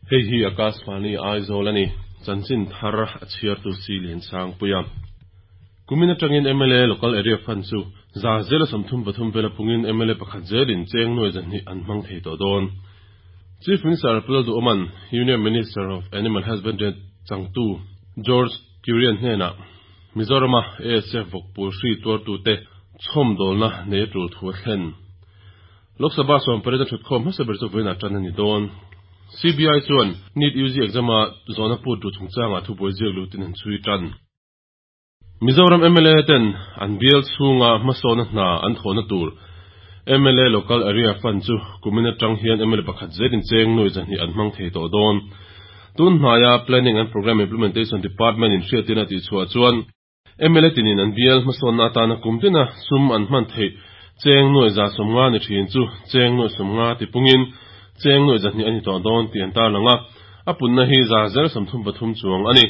Hei hi Akashvani Aizawl a ni. Chanchin thar a chhiartu si Liansangpuia. Kumin atangin mla Local Area Fund chu 33% vela pungin mla pakhat zelin cheng nuai 200 an hmang thei tawh dawn. Chief Minister Pu Lalduhawma'n Union Minister of Animal Husbandry changtu George Kurian hnenah Mizorama ASF vawkpul hri tuartute chhawmdawlna nei a tul thu a thlen. Lok Sabha sawmpariat a thutkhawm hmasa ber chu vawiinah tan a ni dawn. CBI chuan NEET UG exam-a zawhna put duh chungchangah thubuai ziak lutin an chhui tan. Mizoram mla ten an bial chhunga hmasawna hna an thawhna tur mla Local Area Fund chu kumin atang hian mla pakhat zelin cheng nuai 200 an hmang thei tawh dawn. Tun hnaia Planning and Programme Implementation Department in hriatin a tihchhuah chuan mla tinin an bial hmasawnna atana kum tina sum an hman theih cheng nuai 150 ni thin chu cheng nuai 50 tipungin cheng nuai 200 a ni tawh dawn tih an tarlang a. A punna hi 33% chuang a ni.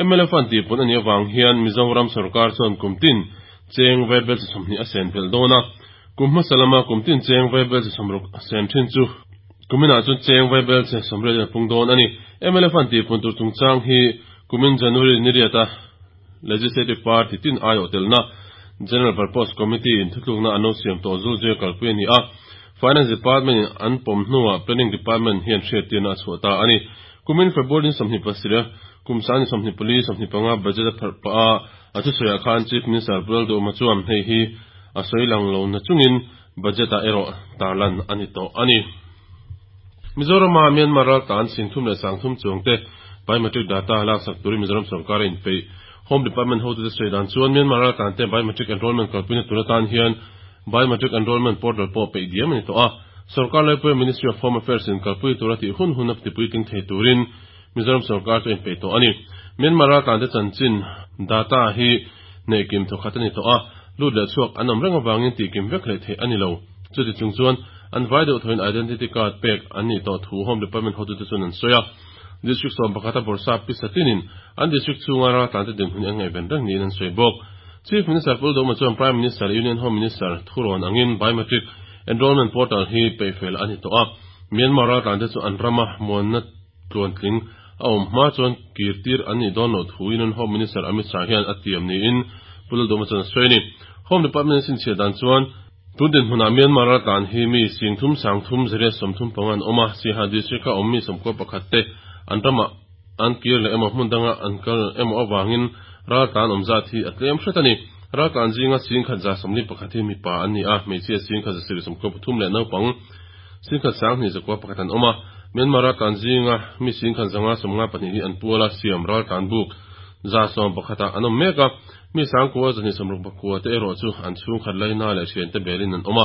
Mla Fund tihpun a nih avang hian Mizoram sorkar chuan kum tin cheng vaibel chi 20 a sen belh dawn a. Kum hmasa lama kum tin cheng vaibel chi 60 a sen thin chu kuminah chuan cheng vaibel chi 80 in a pung dawn a ni. Mla Fund tihpun tur chungchang hi kumin January ni riata Legislative Party tin aiawh telna General Purpose Committee in thutlukna an lo siam tawh zul zui a kalpui a ni a. Finance Department in an pawm hnuah Planning Department hian hriattirna a chhuah ta a ni. Kumin February ni 27, kum sang ni 24, 25 budget a pharh pah a, a thusawiah khan Chief Minister Pu Lalduhawma chuan hei hi a sawi lang lo na chungin budget ah erawh tarlan a ni tawh a ni. Mizorama Myanmar raltlan 30,000 leh 30,000 chuangte biometric data laksak turin Mizoram sorkar a inpeih. Home Department hotute sawi dan chuan Myanmar raltlante biometric enrollment kalpuina tur atan hian biometric enrollment portal pawh peih diam a ni tawh a. Sorkar laipuia Ministry of Home Affairs in kalpui tura tih hun hun a tipuitling thei turin Mizoram sorkar chu a inpeih tawh a ni. Myanmar raltlante chanchin data hi neih kim thawkhat a ni tawh a, lut leh chhuak an awm reng avangin tihkim vek hlei theih a ni lo. Chuti chung chuan an vai deuh thoin identity card pek an nih tawh thu Home Department hotute chuan an sawi a. District 11 a bawrhsap pisa tinin an district chhunga raltlante dinhmun hi an ngaihven reng niin an sawi bawk. Chief Minister Pu Lalduhawma chuan Prime Minister leh Union Home Minister thurawn angin biometric enrollment portal hi peihfel a ni tawh a. Myanmar raltlante chu an rama muanna tluantling a awm hma chuan kirtir an nih dawn loh thu Union Home Minister Amit Shah hian a tiam niin Pu Lalduhawma chuan a sawi a ni. Home Department in chhinchhiah dan chuan Tun dinhmunah Myanmar raltlan hi mi 30 335 an awm a, Siaha District-a awm mi 91 te an ramah an kir leh emaw hmun danga an kal emaw avangin raltlan awm zat hi a tlem hret a ni. Raltlan zinga 1,141 hi mipa an ni a, hmeichhia 1,793 leh naupang 1,291 an awm a. Myanmar raltlan zinga mi 1,592 hi an puala siam raltlan buk 111 ah an awm mek a. Mi 9,269 te erawh chu an chhungkhat laina leh thiante belin an awm a,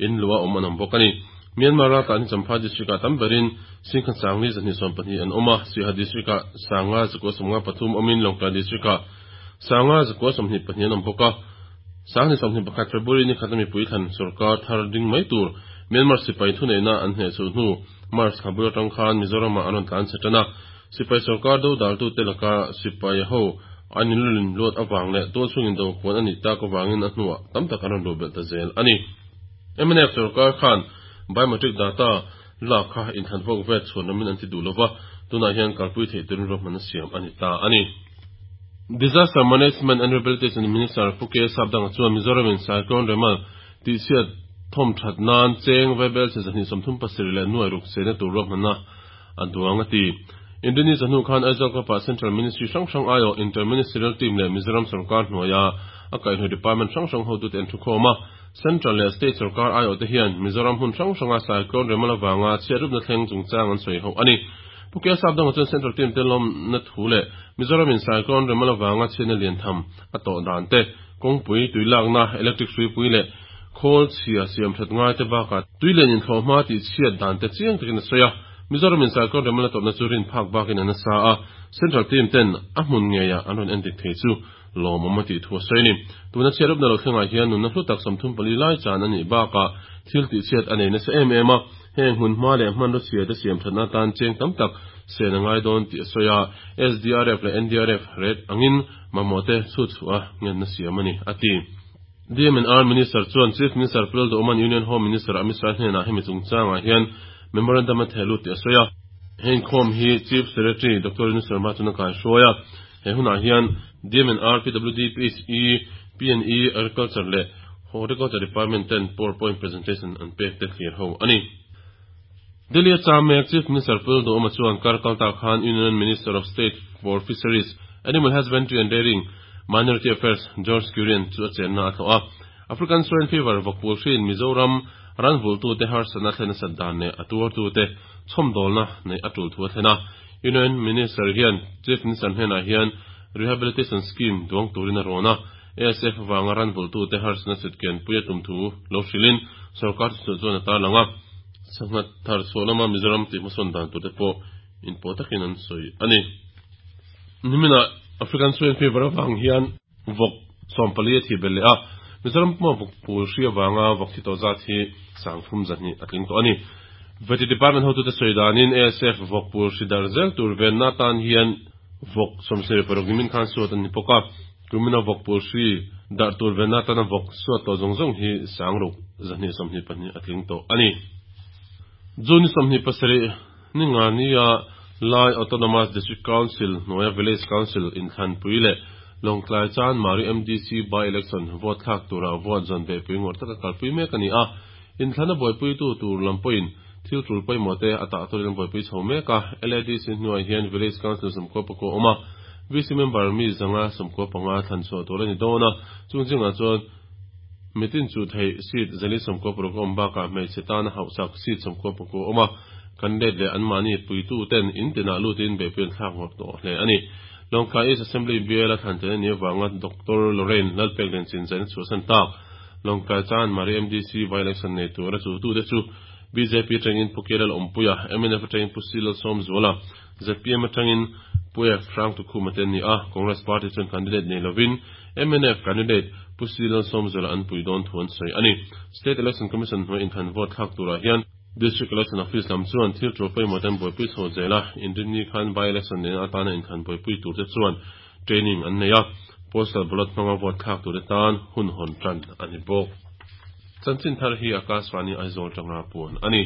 in luah awm an awm bawk a ni. Myanmar raltlan hi Champhai District-ah tam berin 1,412 an awm a, Siaha District-ah 5,953 awmin Lawngtlai District-ah 5,922 an awm bawk a. 2021 February ni khata mipui thlan sorkar thar ding mai tur Myanmar sipai thuneihna an hnehchhuh hnu March thla bul atang khan Mizoramah an rawn tlan chhe tan a. Sipai sorkar dodaltute laka sipai ho an inlulin luat avang leh tualchhungin do kuan a nih tak avangin a hnuah tam tak an rawn luh belh ta zel a ni. Mnf sorkar khan biometric data lak kha inthlan vawk vet chhuan ramin an ti duh lova, tunah hian kalpui theih turin ruahman a siam a ni ta a ni. Disaster Management and Rehabilitation Minister Pu K. Sapdanga chuan Mizoramin Cyclone Remal tihchhiat thawm that nan cheng vaibel che 237 leh nuai ruk chena tur ruahmanna a duang a ti. Indonesia hnu khan Aizawl Club-ah Central Ministry hrang hrang aiawh Inter-Ministerial Team leh Mizoram sorkar hnuaia a kaihhnawih department hrang hrang hotute an thukhawm a. Central leh State sorkar aiawhte hian Mizoram hmun hrang hranga Cyclone Remal avanga chhiatrupna thleng chungchang an sawi ho a ni. Pu K. Sapdanga chuan Central Team te lawmna thu leh Mizoramin Cyclone Remal avanga chhiatna lian tham a tawh dan te, kawngpui, tuilakna, electric hruipui leh khawl chhia siam that ngai te bakah tui len inthlawh hma tih chhiat dan te chiang takin a sawi a. Mizoramin Cyclone Remal a tawrhna chu rin phak bakin a nasa a, Central Team ten a hmun ngeiah an rawn endik thei chu lawmawm a tih thu a sawi a ni. Tuna chhiatrupna lo thlengah hian nunna hlu tak 34 lai chan a nih bakah thil tihchhiat a nei nasa em em a, heng hmun hma leh hmanraw chhia te siam thatna atan cheng tam tak sen a ngai dawn tih a sawi a, SDRF leh NDRF ret angin mamawh te chhut chhuah a ngenna siam a ni, a ti. DMNR Minister chuan Chief Minister Pu Lalduhawma'n Union Home Minister Amit Shah hnenah hemi chungchangah hian memorandum a theh lut tih a sawi a. He inkhawm hi Chief Secretary Doctor Renu Sharma chuan a kaihruai a. He hunah hian DMNR, PWD, PHE, PNE, Agriculture leh Horticulture Department ten powerpoint presentation an pek te thlir ho a ni. Delhi a cham mek Chief Minister Pul Duhoma chuan kar kalta khan Union Minister of State for Fisheries, Animal Husbandry and Dairying, Minority Affairs George Kurian chu a chenna a tlawh a. African Swine Fever vawkpul hriin Mizoram ran vultute harsatna thlen nasat dan leh a tuartute chhawmdawlna neih a tul thu a thlen a. Union Minister hian Chief Minister hnenah hian Rehabilitation Scheme duang turin a rawn a. ASF avanga ran vultute harsatna sutken pui a tum thu lo hrilhin sorkar thuchhuah chuan a tarlang a. Sangha thar chhuah lama Mizoram tih hmasawn dan turte pawh inpawh takin an sawi a ni. Niminah African Swine Fever avang hian vawk 14 a thi belh leh a, Mizoram puma vawk pul hri avanga vawk thi tawh zat hi 32 a tling tawh a ni. Vety Department hotute sawi danin ASF vawk pul hri darh zel tur venna atan hian vawk 76 nimin khan suat an ni bawk a, kumina vawk pul hri darh tur venna atana vawk suat tawh zawng zawng hi 6224 a tling tawh a ni. June 27 ni nga nia Lai Autonomous District Council hnuaia Village Council inthlanpui leh Lawngtlai Chanmari MDC by-election vote thlak tura vote zawn beihpui ngawrh taka kalpui mek a ni a. Inthlana buaipuitu tur lam pawhin thil tul pawimawh te a tah turin an buaipui chho mek a. LADC hnuai hian Village Council 94 a awm a, VC member mi 195 thlan chhuah tur a ni dawn a, chung zingah chuan mitin chu theih seat 496 a awm bakah hmeichhe tana hauhsak seat 99 a awm a, candidate leh anmahni puitu ten in tinah lutin beihpui an thlak ngawt tawh hle a ni. Lawngtlai East Assembly biala thlan tel a nih avanga Doctor Lorraine Lalpek Lianchin zaina chhuahsan tak Lawngtlai Chanmari MDC by-election nei tura chutute chu bjp atangin Pu Kelal Awmpuia, mnf atangin Pu Silal Sawmzuala, zpm atangin Pu F Hrangtukhuma te an ni a, Congress party chuan candidate nei lovin mnf candidate Pu Silal Sawmzuala an pui dawn thu an sawi a ni. State Election Commission hnuai inthlan vote thlak turah hian District Election Office lam chuan thil tul pawimawh te an buaipui chho zel a, Inrinni khan by-election nena atana inthlan buaipui turte chuan training an nei a, postal ballot hmanga vote thlak turte tan hun hawn tan a ni bawk. Chanchin thar hi Akashvani Aizawl tanga puan a ni.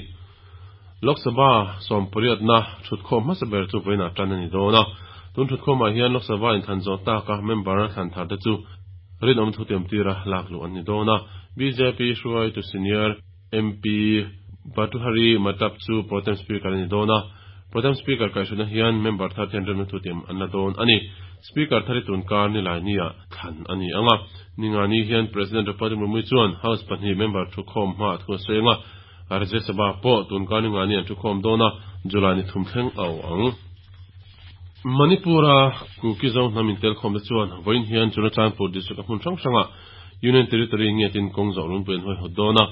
Lok Sabha sawmpariatna thutkhawm hmasa ber chu vawiinah tan a ni dawn a, tun thutkhawmah hian Lok Sabha inthlan zawh taka member thlan tharte chu rinawm thutiam tira lak luh an ni dawn a, bjp hruaitu senior MP Bhartruhari Mahtab chu Protem Speaker a ni dawn a, Protem Speaker kaihhruaina hian member thar ten remna thutiam an la dawn a ni. Speaker thar hi tunkar nilai nia thlan a ni ang a, ningani hian President Draupadi Murmu chuan House pahnih member thukhawm hmaah thu a sawi ang a, Rajya Sabha pawh tunkar ningani an thukhawm dawn a, July ni thum thleng a awh ang. Manipur-a Kuki Zo hnam intelkhawmte chuan vawiin hian Churachandpur District a hmun hrang hrangah Union Territory ngetin kawng zawh runpui an hawihawt dawn a.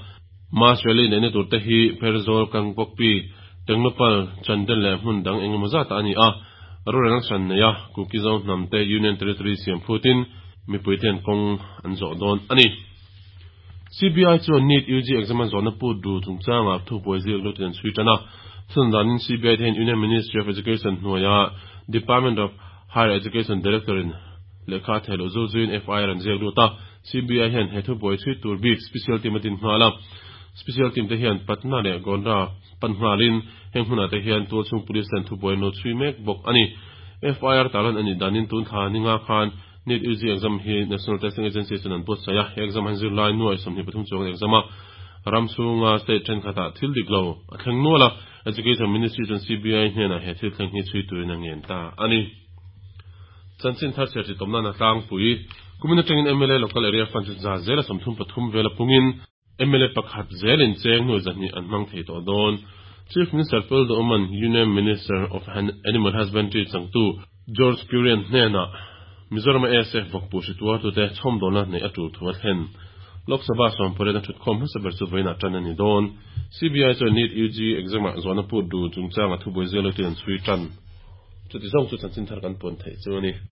Mass rally neihna turte hi Pherzawl, Kangpokpi, Tengnoupal, Chandel leh hmun dang eng emaw zatah a ni a. Rorelna hran nei a, Kuki Zo hnamte Union Territory siam phutin mipuite an kawng an zawh dawn a ni. CBI chuan NEET UG exam a zawhna put ru chungchangah thubuai ziak lutin an chhui tan a. Thun danin CBI te hian Union Ministry of Education hnuaia Department of Higher Education Director in lehkha a theh loh zul zuiin FIR an ziak lut a. CBI hian he thubuai chhui tur bik Special Team a din nghal a. Special Team te hian Patna leh Gonda pan nghalin heng hmunah te hian tualchhung Police ten thubuai an lo chhui mek bawk a ni. FIR tarlan a nih danin tun thla ninga khan NEET UG exam hi National Testing Agency chuan an buatsaih a, he exam han zirlai nuai 23 chuang an exam a, ram chhunga state thenkhatah thil dik lo a thleng nual a, Education Ministry chuan CBI hnenah he thil thleng hi chhui turin a ngen ta a ni. Chanchin thar chhiar titawm nan a tlangpui. Kumin atangin mla Local Area Fund chu za zela 33 vela pungin, mla pakhat zelin cheng hnu 200 an hmang thei tawh dawn. Chief Minister Phil Duhman, Union Minister of Animal Husbandry changtu George Kurian hnenah Mizoram-a ASF vawkpu hri tuartute chhawmdawlna neih a tul thu a thlen. Lok Sabha sawmpariat a thutkhawm hmasa ber chu vawiinah tan a ni dawn. CBI chuan NEET UG exam-ah zawhna put du chungchanga thubuai zial lutin an chhui tan. Chuti zawng chu chanchin thar kan puan theih chu a ni.